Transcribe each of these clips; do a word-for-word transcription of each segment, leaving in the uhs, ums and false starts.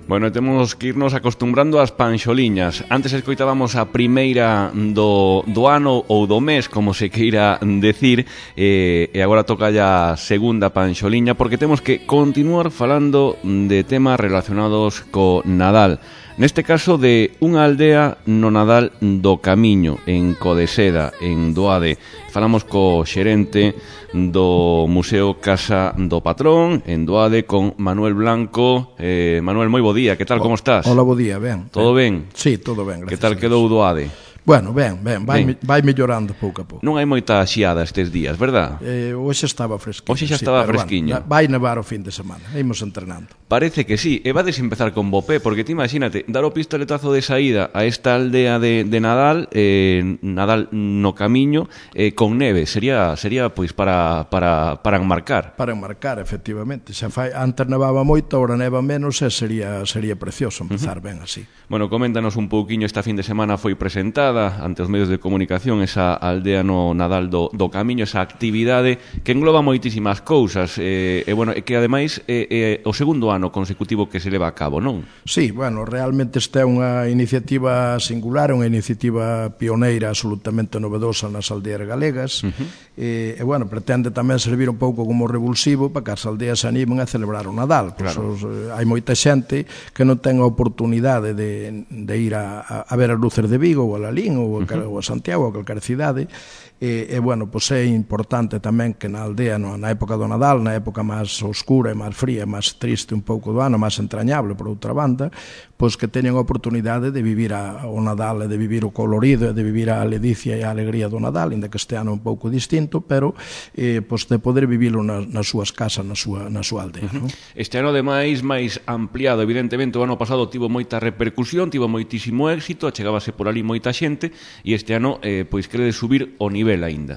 Bueno, temos que irnos acostumbrando ás panxoliñas. Antes escoitábamos a primeira do, do ano ou do mes, como se queira decir, eh, e agora toca ya a segunda panxoliña, porque temos que continuar falando de temas relacionados co Nadal. Neste caso de unha aldea no Nadal do Camiño, en Codeseda, en Doade. Falamos co xerente do Museo Casa do Patrón, en Doade, con Manuel Blanco. Eh, Manuel, moi bo día, que tal, como estás? Hola, bo día, ben. Todo ben? Sí, todo ben, gracias. Que tal quedou Doade? Bueno, ben, ben, vai, ben. vai mellorando pouco a pouco. Non hai moita xiada estes días, verdad? Eh, hoxe estaba fresquiño. Hoxe xa estaba sí, fresquiño. Bueno, vai nevar o fin de semana, imos entrenando. Parece que sí, e vades empezar con bo pé, porque ti imagínate, dar o pistoletazo de saída a esta aldea de, de Nadal, eh, Nadal no Camiño, eh, con neve, sería sería pois para, para, para enmarcar. Para enmarcar, efectivamente. Xa fai, antes nevaba moito, agora neva menos, e sería, sería precioso empezar uh -huh. ben así. Bueno, coméntanos un pouquiño, esta fin de semana foi presentada ante os medios de comunicación esa aldea no Nadal do, do Camiño, esa actividade que engloba moitísimas cousas e, eh, bueno, que ademais é eh, eh, o segundo ano consecutivo que se leva a cabo, non? Sí, bueno, realmente esta é unha iniciativa singular, unha iniciativa pioneira absolutamente novedosa nas aldeas galegas. Uh -huh. e, e, bueno, pretende tamén servir un pouco como revulsivo para que as aldeas se animen a celebrar o Nadal. Claro. Pues, os, hai moita xente que non ten a oportunidade de, de ir a, a ver as luces de Vigo ou a Lalín ou a, ou a Santiago ou a calquera cidade. E, e bueno, pois é importante tamén que na aldea, no, na época do Nadal, na época máis oscura e máis fría, máis triste un pouco do ano, máis entrañable por outra banda, pois que teñen a oportunidade de vivir a, o Nadal e de vivir o colorido e de vivir a ledicia e a alegría do Nadal, inda que este ano un pouco distinto, pero eh, pois de poder vivilo nas, nas súas casas, na súa, na súa aldea. Uh -huh. No? Este ano, ademais, máis ampliado, evidentemente, o ano pasado tivo moita repercusión, tivo moitísimo éxito, achegábase por ali moita xente, e este ano, eh, pois, querede subir o nivel aínda.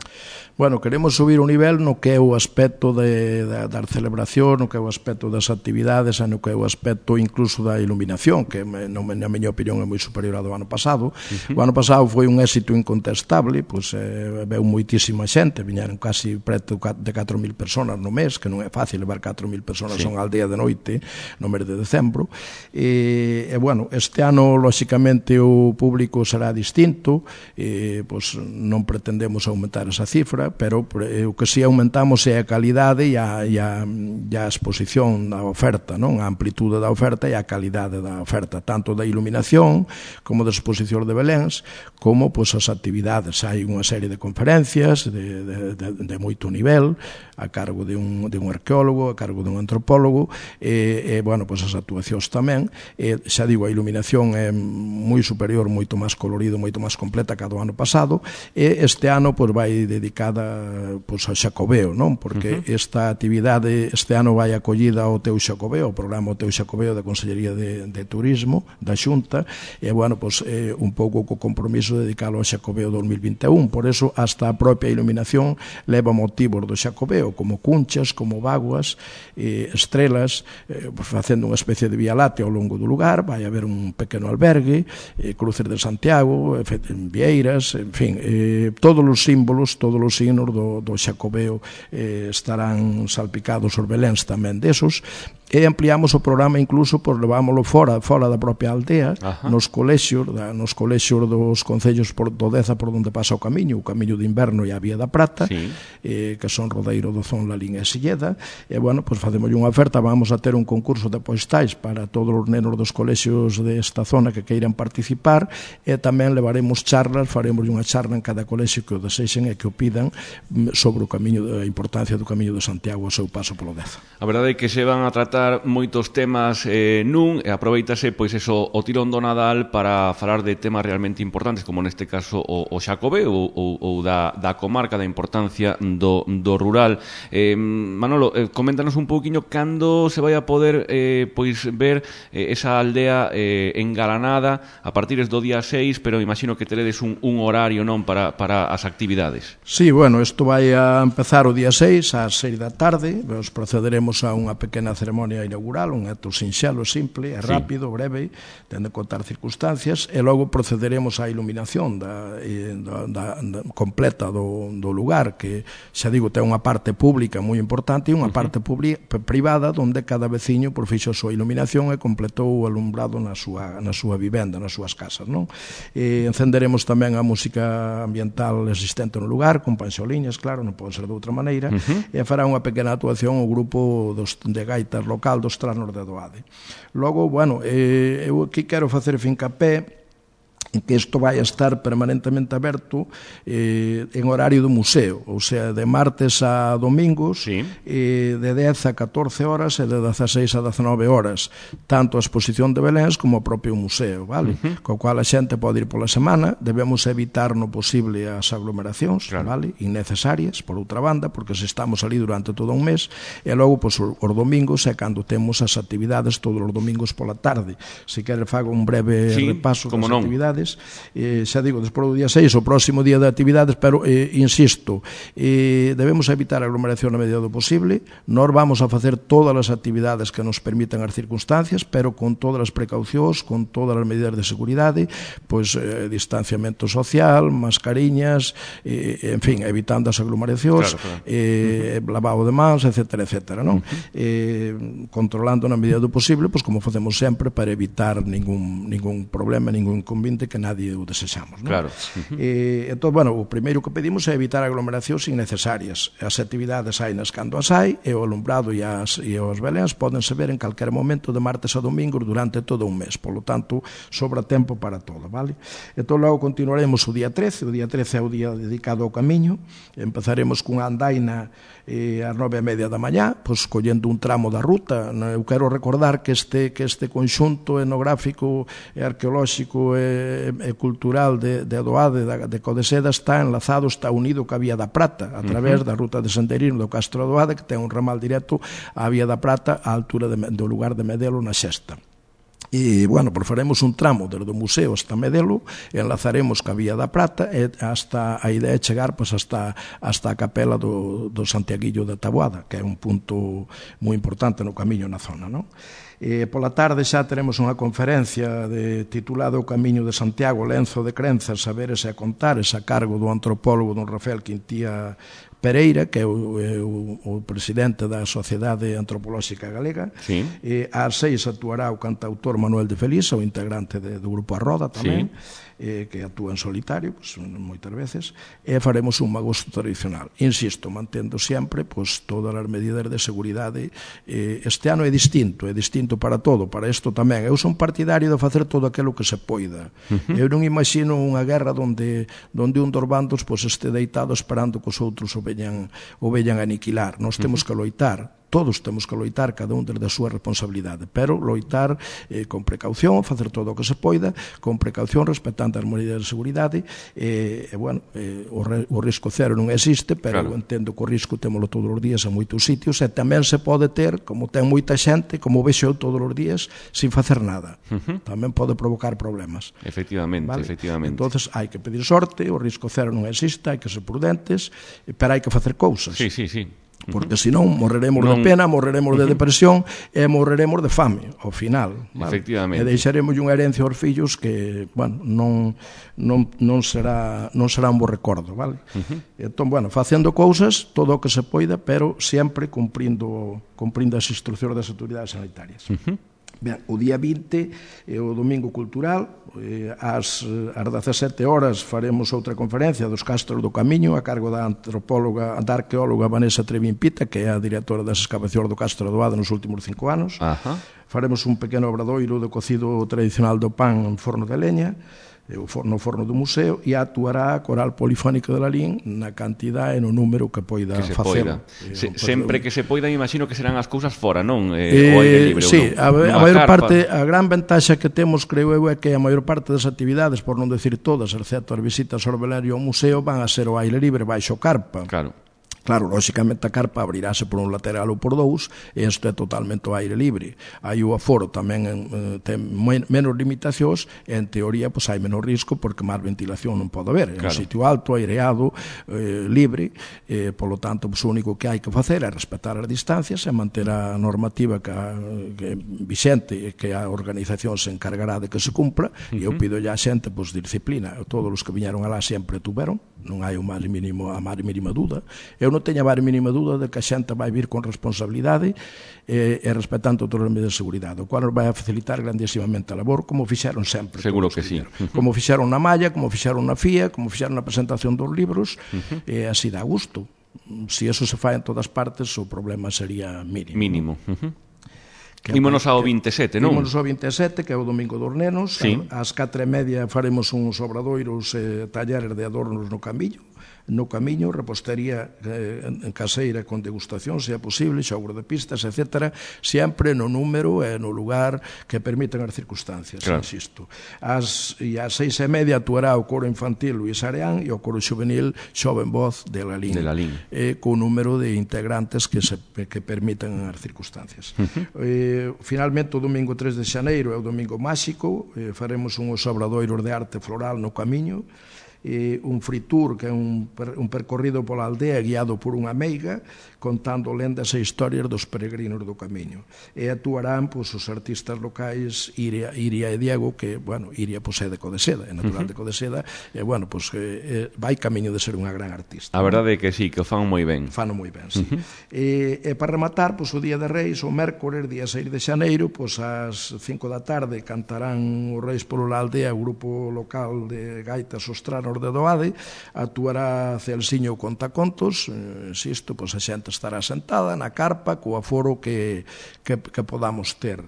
Bueno, queremos subir o nivel no que é o aspecto de, da, da celebración, no que é o aspecto das actividades, no que é o aspecto incluso da iluminación, que no, na miña opinión é moi superior ao do ano pasado. Uh -huh. O ano pasado foi un éxito incontestable, pois eh, veu moitísima xente, viñeron casi preto de catro mil personas no mes, que non é fácil levar catro mil personas sí. a unha aldea de noite no mes de decembro. E, e bueno, este ano, lóxicamente, o público será distinto, e, pois non pretendemos aumentar esa cifra, pero o que si aumentamos é a calidade e a, e a, e a exposición da oferta, non? A amplitude da oferta e a calidade da oferta, tanto da iluminación como da exposición de Beléns, como pois, as actividades. Hai unha serie de conferencias de, de, de, de moito nivel, a cargo de un, de un arqueólogo, a cargo de un antropólogo, e, e bueno, pois as actuacións tamén. E, xa digo, a iluminación é moi superior, moito máis colorido, moito máis completa que a do ano pasado, e este ano pois, vai dedicada pois, ao Xacobeo, non? Porque uh -huh. esta actividade este ano vai acollida ao Teu Xacobeo, o programa o Teu Xacobeo da Consellería de, de Turismo da Xunta, e bueno, pois, é un pouco co compromiso de dedicalo ao Xacobeo dos mil vinte e un. Por eso, hasta a propia iluminación leva motivos do Xacobeo, como cunchas, como vaguas, eh, estrelas, eh, facendo unha especie de vía láctea ao longo do lugar. Vai haber un pequeno albergue, eh, cruces de Santiago, vieiras, en fin, eh, todos os símbolos, todos os signos do, do Xacobeo eh, estarán salpicados os beléns tamén desos, e ampliamos o programa incluso por levámoslo fora, fora da propia aldea. Ajá. nos colexios, da, nos colexios dos concellos por, do Deza por onde pasa o camiño, o camiño de inverno e a Vía da Prata, sí. eh, que son Rodeiro, Dozón, Lalín e Silleda, e bueno, pois facemos unha oferta, vamos a ter un concurso de postais para todos os nenos dos colexios desta zona que queiran participar, e tamén levaremos charlas, faremos unha charla en cada colexio que o desexen e que o pidan sobre o camiño, a importancia do camiño de Santiago ao seu paso polo Deza. A verdade é que se van a tratar moitos temas eh, nun, e aproveitase pois eso, o tirón do Nadal para falar de temas realmente importantes, como neste caso o, o Xacobeo ou, ou, ou da, da comarca, da importancia do, do rural. eh, Manolo, eh, coméntanos un pouquiño cando se vai a poder eh, pois ver eh, esa aldea eh, engalanada a partir do día seis, pero imagino que teredes un, un horario, non, para, para as actividades. Sí, bueno, isto vai a empezar o día seis ás seis da tarde, nos procederemos a unha pequena ceremonia ceremonia inaugural, un acto sinxelo, simple, é rápido, breve, ten de contar circunstancias, e logo procederemos á iluminación da, da, da completa do, do lugar, que, xa digo, ten unha parte pública moi importante e unha parte privada onde cada veciño por fixo a súa iluminación e completou o alumbrado na súa, na súa vivenda, nas súas casas, non? E encenderemos tamén a música ambiental existente no lugar, con panxoliñas, claro, non pode ser de outra maneira, uh-huh. e fará unha pequena actuación o grupo dos, de gaitas local dos Trasnos de Adoade. Logo, bueno, eh, eu aquí quero facer fincapé en que isto vai a estar permanentemente aberto eh, en horario do museo, ou sea, de martes a domingos, sí. eh, de dez a catorce horas e de dezaseis a dezenove horas, tanto a exposición de Beléns como o propio museo, vale? Uh-huh. Co cual a xente pode ir pola semana, debemos evitar no posible as aglomeracións, claro. Vale? Innecesarias, por outra banda, porque se estamos ali durante todo un mes, e logo, pois, os domingos é cando temos as actividades todos os domingos pola tarde. Se quere fago un breve sí, repaso das non. actividades. Eh, xa digo, despois do día seis, o próximo día de actividades, pero, eh, insisto, eh, debemos evitar a aglomeración na medida do posible. Nós vamos a facer todas as actividades que nos permitan as circunstancias, pero con todas as precaucións, con todas as medidas de seguridade, pois, eh, distanciamento social, mascariñas, eh, en fin, evitando as aglomeracións, claro, claro. Eh, uh-huh. lavado de mans, etcétera, etcétera, non? Uh-huh. Eh, controlando na medida do posible, pois como facemos sempre, para evitar ningún, ningún problema, ningún inconveniente que nadie o desexamos, non? Claro. Uh-huh. Eh, entón, bueno, o primeiro que pedimos é evitar aglomeracións innecesarias. As actividades hainas cando as hai, e o alumbrado e, as, e os beléns podense ver en calquer momento de martes a domingos durante todo un mes. Por lo tanto, sobra tempo para todo, vale? Entón, logo continuaremos o día trece. O día trece é o día dedicado ao camiño. Empezaremos cunha andaina eh, ás nove e media da mañá, pois collendo un tramo da ruta. Eu quero recordar que este, que este conxunto etnográfico e arqueolóxico e e cultural de, de Adoade, de, de Codeseda, está enlazado, está unido ca Vía da Prata, a través uh-huh. da ruta de Sendeirino do Castro Adoade, que ten un ramal directo á Vía da Prata, á altura de, do lugar de Medelo, na Xesta. E, bueno, pues faremos un tramo desde o museo hasta Medelo, enlazaremos ca Vía da Prata, e hasta a idea é chegar pues, hasta, hasta a capela do, do Santiaguillo de Taboada, que é un punto moi importante no camiño na zona, non? E pola tarde xa teremos unha conferencia de, titulada O Camiño de Santiago, lenzo de crenzas, saberes e contares, a cargo do antropólogo don Rafael Quintía Pereira, que é o, é o, o presidente da Sociedade Antropolóxica Galega. Sí. E ás seis actuará o cantautor Manuel de Feliz, o integrante de, do grupo A Roda tamén. Sí. Eh, que actúa en solitario, pues, moitas veces, e faremos un magosto tradicional. Insisto, mantendo sempre pues, todas as medidas de seguridade. Eh, este ano é distinto, é distinto para todo, para isto tamén. Eu son partidario de facer todo aquilo que se poida. Uh-huh. Eu non imagino unha guerra onde, onde un dos bandos pues, este deitado esperando que os outros o veñan, o veñan a aniquilar. Nós temos uh-huh. que loitar. Todos temos que loitar, cada un desde a súa responsabilidade, pero loitar eh, con precaución, facer todo o que se poida, con precaución, respetando as medidas de seguridade, e, eh, bueno, eh, o, re, o risco cero non existe, pero claro. Eu entendo que o risco témolo todos os días en moitos sitios, e tamén se pode ter, como ten moita xente, como vexo eu todos os días, sin facer nada. Uh-huh. Tamén pode provocar problemas. Efectivamente, vale? efectivamente. Entonces, hai que pedir sorte, o risco cero non existe, hai que ser prudentes, pero hai que facer cousas. Sí, sí, sí. Porque senón morreremos non... de pena, morreremos de depresión e morreremos de fame ao final, vale? Efectivamente. E deixaremos unha herencia aos fillos que, bueno, non non non será non será un bo recordo, vale? Uh-huh. Entón, bueno, facendo cousas todo o que se poida, pero sempre cumprindo cumprindo as instruccións das autoridades sanitarias. Uh-huh. Ben, o día vinte é o Domingo Cultural, eh, ás, ás dezasete horas faremos outra conferencia dos Castros do Camiño a cargo da antropóloga, da arqueóloga Vanessa Trevín Pita, que é a directora das excavacións do Castro Adoade nos últimos cinco anos. Ajá. Faremos un pequeno obradoiro de cocido tradicional do pan en forno de leña, no forno do museo, e actuará a Coral Polifónica de Lalín na cantidade e no número que poida que se facer. Poida. Se, sempre que se poida, imagino que serán as cousas fora, non? Eh, eh, o aire libre. Sí, a, a maior parte, a gran ventaxa que temos, creo eu, é que a maior parte das actividades, por non decir todas, excepto as visitas ao velerio ao museo, van a ser ao aire libre baixo carpa. Claro. Claro, lóxicamente a carpa abrirase por un lateral ou por dous, e isto é totalmente ao aire libre. Aí o aforo tamén eh, ten menos limitacións, e en teoría pois, hai menos risco porque máis ventilación non pode haber. É claro. Un sitio alto, aireado, eh, libre, eh, polo tanto, pois, o único que hai que facer é respetar as distancias e manter a normativa que, a, que vixente e que a organización se encargará de que se cumpla, uh-huh. E eu pido ya a xente pois, disciplina. Todos os que viñeron alá sempre tuveron, non hai o máis mínimo, a máis mínima dúda. Eu non teño a máis mínima dúda de que a xente vai vir con responsabilidade e, e respetando todas as medidas de seguridade, o cual nos vai a facilitar grandísimamente a labor, como fixeron sempre. Seguro que sí. Uh-huh. Como fixeron na malla, como fixeron na F I A, como fixeron na presentación dos libros, uh-huh. E así dá gusto. Se eso se fai en todas partes, o problema sería mínimo. Mínimo. Uh-huh. Ímonos ao vinte e sete, non? Ímonos ao vinte e sete, que é o Domingo dos Nenos. Sí. Ás catro e media faremos uns obradoiros e eh, talleres de adornos no camiño. No camiño, repostería eh, en caseira con degustación, se é posible, xogos de pistas, etcétera, sempre no número e no lugar que permitan as circunstancias, claro. Insisto. As, e ás seis e media actuará o coro infantil Luis Areán e o coro juvenil Xoven Voz de Lalín, de Lalín. Eh, con número de integrantes que, se, que permitan as circunstancias. Uh-huh. Eh, finalmente, o domingo tres de xaneiro é o domingo máxico, eh, faremos uns obradoiros de arte floral no camiño, eh, un free tour que é un, un percorrido pola aldea guiado por unha meiga contando lendas e historias dos peregrinos do camiño, e actuarán pois, os artistas locais Iria, Iria e Diego, que, bueno, Iria pois, é de Codeseda, é natural uh-huh. de Codeseda, e, bueno, pois, eh, vai camiño de ser unha gran artista. A verdade é que sí, que o fan moi ben. Fano moi ben, sí. Uh-huh. E, e para rematar, pois, o Día de Reis, o mércores, día seis de xaneiro, pois, ás cinco da tarde cantarán os Reis polo la aldea, o grupo local de gaitas Ostranos de Doade, actuará Celsiño Contacontos, eh, insisto, pois, a xente estará sentada na carpa co aforo que, que, que podamos ter.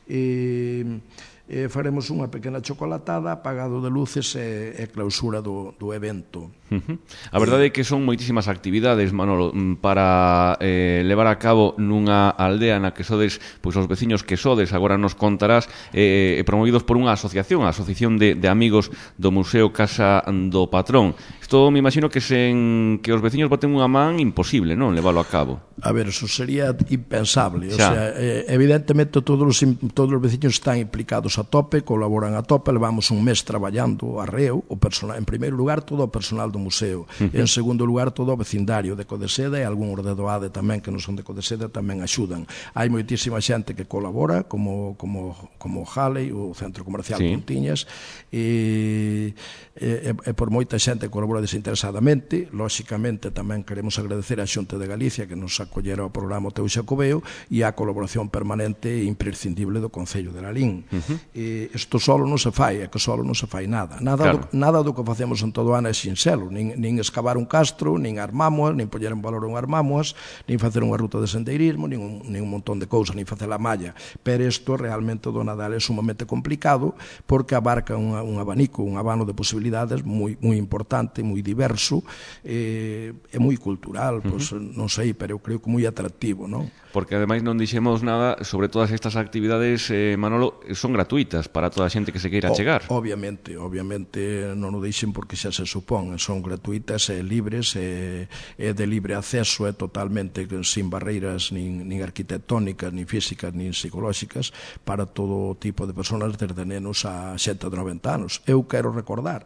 E, e faremos unha pequena chocolatada, apagado de luces e, e clausura do, do evento. Uh-huh. A verdade é que son moitísimas actividades, Manolo, para eh, levar a cabo nunha aldea na que sodes, pois os veciños que sodes, agora nos contarás, eh, promovidos por unha asociación, a Asociación de, de Amigos do Museo Casa do Patrón. Isto me imagino que sen que os veciños boten unha man, imposible, non, leválo a cabo. A ver, eso sería impensable. O sea, eh, evidentemente todos os, todos os veciños están implicados a tope, colaboran a tope, levamos un mes traballando arreo, o personal, en primeiro lugar todo o personal do museo, uh-huh. En segundo lugar todo o vecindario de Codeseda e algúns de Doade tamén que non son de Codeseda tamén axudan. Hai moitísima xente que colabora, como como como Halley, o Centro Comercial sí. Pontiñas, e, e, e por moita xente que colabora desinteresadamente. Lóxicamente tamén queremos agradecer á Xunta de Galicia que nos acollera ao programa Teu Xacobeo e a colaboración permanente e imprescindible do Concello de Lalín. Uh-huh. E isto solo non se fai, é que solo non se fai nada. Nada, claro. do, nada do que facemos en todo o ano é sinxelo, nin, nin excavar un castro, nin armámoas, nin poñer en valor un armámoas, nin facer unha ruta de sendeirismo, nin un, nin un montón de cousas, nin facer a malla. Pero isto realmente do Nadal é sumamente complicado porque abarca unha, un abanico, un abano de posibilidades moi, moi importante, moi diverso, e, e moi cultural, uh-huh. Pois, non sei, pero eu creo que moi atractivo, non? Porque ademais non dixemos nada sobre todas estas actividades, eh, Manolo, son gratuitas para toda a xente que se queira chegar. O, obviamente, obviamente non o deixen porque xa se supón, son gratuitas e libres e, e de libre acceso, é totalmente sin barreiras nin, nin arquitectónicas, nin físicas, nin psicolóxicas para todo tipo de personas, desde nenos a xente de noventa anos. Eu quero recordar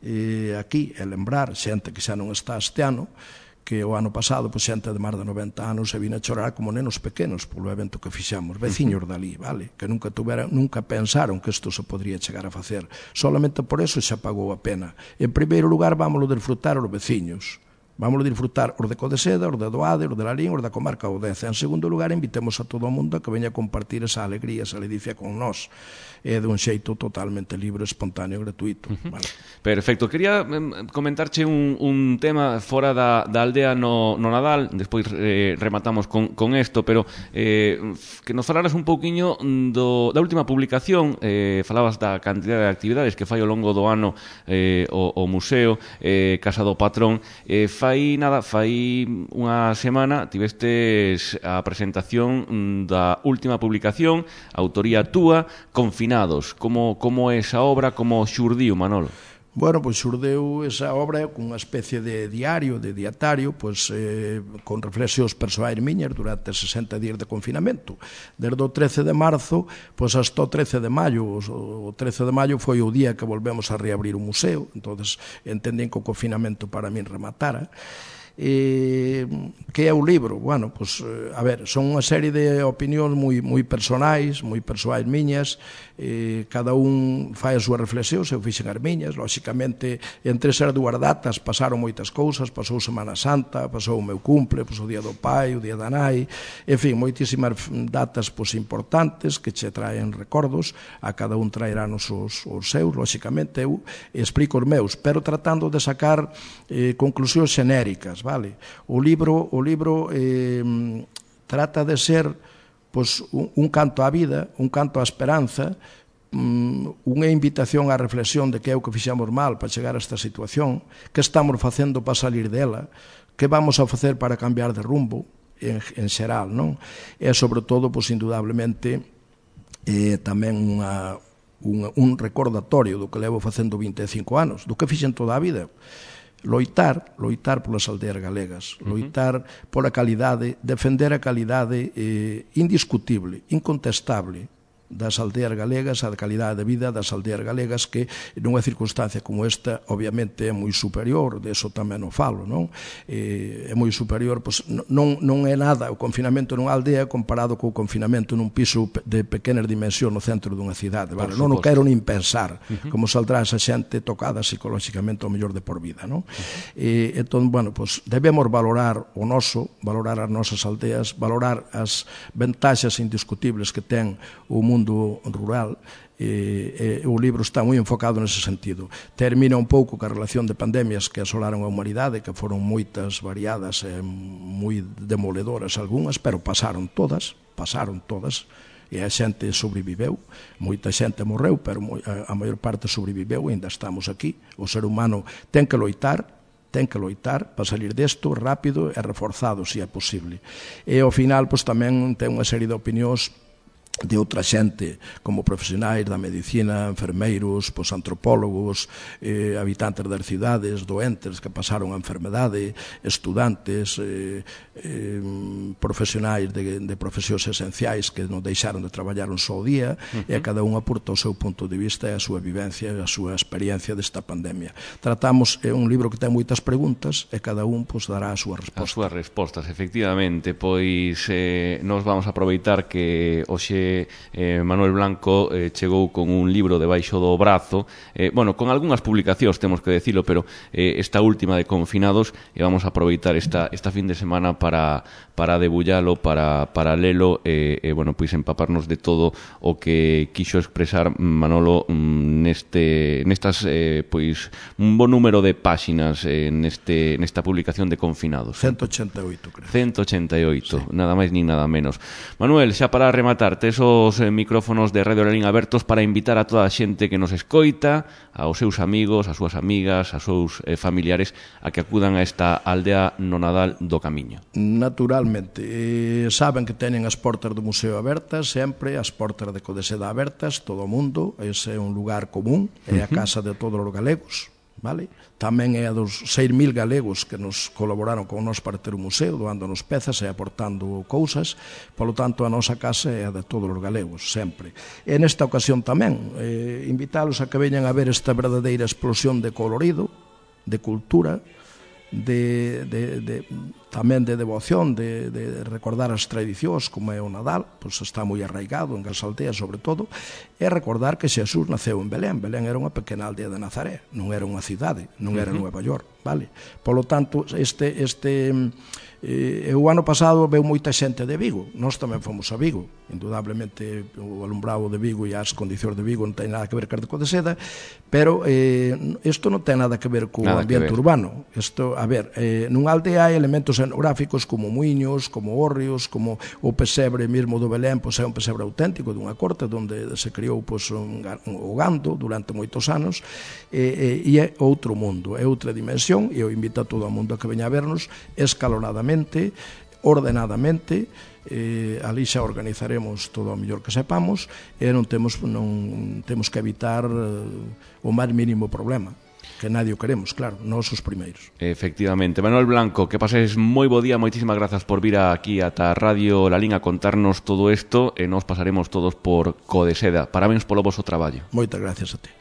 e aquí e lembrar xente que xa non está este ano, que o ano pasado, pois, xente de máis de noventa anos se vino a chorar como nenos pequenos polo evento que fixamos, veciños dali, vale, que nunca tuveran, nunca pensaron que isto se podría chegar a facer. Solamente por eso xa pagou a pena. En primeiro lugar, vámoslo disfrutar os veciños. Vamos a disfrutar os de Codeseda, os de Doade, os de Lalín, os da comarca Odeza. En segundo lugar, invitemos a todo o mundo a que veña a compartir esa alegría, esa ledicia con nós. É de un xeito totalmente libre, espontáneo, gratuito. Uh-huh. Vale. Perfecto. Quería eh, comentarche un, un tema fora da, da aldea no, no Nadal, despois eh, rematamos con, con esto, pero eh, que nos falaras un pouquiño do, da última publicación, eh, falabas da cantidad de actividades que fai ao longo do ano eh, o, o museo eh, Casa do Patrón. Eh, fai nada, fai unha semana tivestes a presentación da última publicación, autoría túa, Confinados. Como, como é esa obra, como xurdiu, Manolo? Bueno, pois xurdeu esa obra cunha especie de diario, de dietario, pois eh, con reflexións persoais miñas durante sesenta días de confinamento. Desde o trece de marzo, pois hasta o trece de maio. O trece de maio foi o día que volvemos a reabrir o museo, entonces entendín que o confinamento para min rematara. E que é o libro? Bueno, pois, a ver, son unha serie de opinións moi, moi personais, moi persoais miñas, eh, cada un fai as súas reflexións, eu fixen as miñas, lóxicamente, entre esas dúas datas pasaron moitas cousas, pasou Semana Santa, pasou o meu cumple, pois o Día do Pai, o Día da Nai, en fin, moitísimas datas pois, importantes que che traen recordos, a cada un traerán os, os seus, lóxicamente, eu explico os meus, pero tratando de sacar eh, conclusións xenéricas, vale? O libro, o libro eh, trata de ser pois, un, un canto á vida, un canto á esperanza, um, unha invitación á reflexión de que é o que fixemos mal para chegar a esta situación, que estamos facendo para salir dela, que vamos a facer para cambiar de rumbo, en, en xeral, non? E, sobre todo, pois, indudablemente, eh, tamén unha, un, un recordatorio do que levo facendo vinte e cinco anos, do que fixen toda a vida. Loitar, loitar polas aldeas galegas, loitar pola calidade, defender a calidade eh, indiscutible, incontestable das aldeas galegas, a calidade de vida das aldeas galegas que nunha circunstancia como esta obviamente é moi superior, de eso tamén o falo, non? Eh, é moi superior, pois non, non é nada o confinamento nunha aldea comparado co confinamento nun piso de pequenas dimensións no centro dunha cidade, vale? Non o quero nin pensar uh-huh. como saldrá esa xente tocada psicolóxicamente ao mellor de por vida, non? Uh-huh. Eh, entón, bueno, pois debemos valorar o noso, valorar as nosas aldeas, valorar as ventaxas indiscutibles que ten o mundo mundo rural, e, e o libro está moi enfocado nese sentido. Termina un pouco ca relación de pandemias que asolaron a humanidade, que foron moitas, variadas e moi demoledoras algunhas, pero pasaron todas, pasaron todas, e a xente sobreviveu, moita xente morreu, pero a maior parte sobreviveu e ainda estamos aquí. O ser humano ten que loitar, ten que loitar para salir desto rápido e reforzado, se é posible. E ao final, pois tamén ten unha serie de opinións de outra xente, como profesionais da medicina, enfermeiros, pois, antropólogos, eh, habitantes das cidades, doentes que pasaron a enfermedade, estudantes, eh, eh, profesionais de, de profesións esenciais que non deixaron de traballar un só día, uh-huh. e a cada un aporta o seu punto de vista e a súa vivencia e a súa experiencia desta pandemia. Tratamos, é un libro que ten moitas preguntas e cada un pois, dará a súa resposta. As súas respostas, efectivamente, pois eh, nos vamos a aproveitar que hoxe Eh, Manuel Blanco eh, chegou con un libro debaixo do brazo, eh, bueno, con algunhas publicacións, temos que decirlo, pero eh, esta última de Confinados, e vamos a aproveitar esta, esta fin de semana para, para debullalo, para, para lelo e, eh, eh, bueno, pois empaparnos de todo o que quixo expresar Manolo neste, nestas, eh, pois, un bon número de páxinas eh, neste, nesta publicación de Confinados. ciento ochenta e oito, creo. ciento ochenta e oito, sí. Nada máis nin nada menos. Manuel, xa para rematar, tes os micrófonos de Radio Lalín abertos para invitar a toda a xente que nos escoita, aos seus amigos, as súas amigas, aos seus eh, familiares, a que acudan a esta aldea no Nadal do Camiño. Naturalmente. Eh, saben que teñen as portas do museo abertas, sempre, as portas de Codeseda abertas, todo o mundo, ese é un lugar común, é a casa de todos os galegos, vale? Tamén é a dos seis mil galegos que nos colaboraron con nós para ter o museo, doándonos pezas e aportando cousas, polo tanto a nosa casa é a de todos os galegos, sempre. E nesta ocasión tamén, eh, invítalos a que veñan a ver esta verdadeira explosión de colorido, de cultura, de, de, de, tamén de devoción, de, de recordar as tradicións como é o Nadal, pois está moi arraigado en as aldeas sobre todo, e recordar que Xesús naceu en Belén. Belén era unha pequena aldea de Nazaré, non era unha cidade, non era uh-huh. Nueva York, vale? Polo tanto, este, este eh, o ano pasado veu moita xente de Vigo, nós tamén fomos a Vigo, indudablemente o alumbrado de Vigo e as condicións de Vigo non ten nada que ver con de Codeseda, pero eh, isto non ten nada que ver co nada ambiente urbano. Isto, a ver, eh, nunha aldea hai elementos etnográficos como muiños, como hórreos, como o pesebre mesmo do Belén, pois é un pesebre auténtico dunha corte onde se criou pois, un, un, o gando durante moitos anos, e, e, e é outro mundo, é outra dimensión, e eu invito a todo o mundo a que veña a vernos escalonadamente, ordenadamente, eh, ali xa organizaremos todo o mellor que sepamos, e non temos, non, temos que evitar eh, o máis mínimo problema. que nadie o queremos, claro, nós os primeiros. Efectivamente. Manuel Blanco, que pases moi bo día, moitísimas grazas por vir aquí ata Radio Lalín a contarnos todo isto e nos pasaremos todos por Codeseda. Parabéns polo voso traballo. Moitas gracias a ti.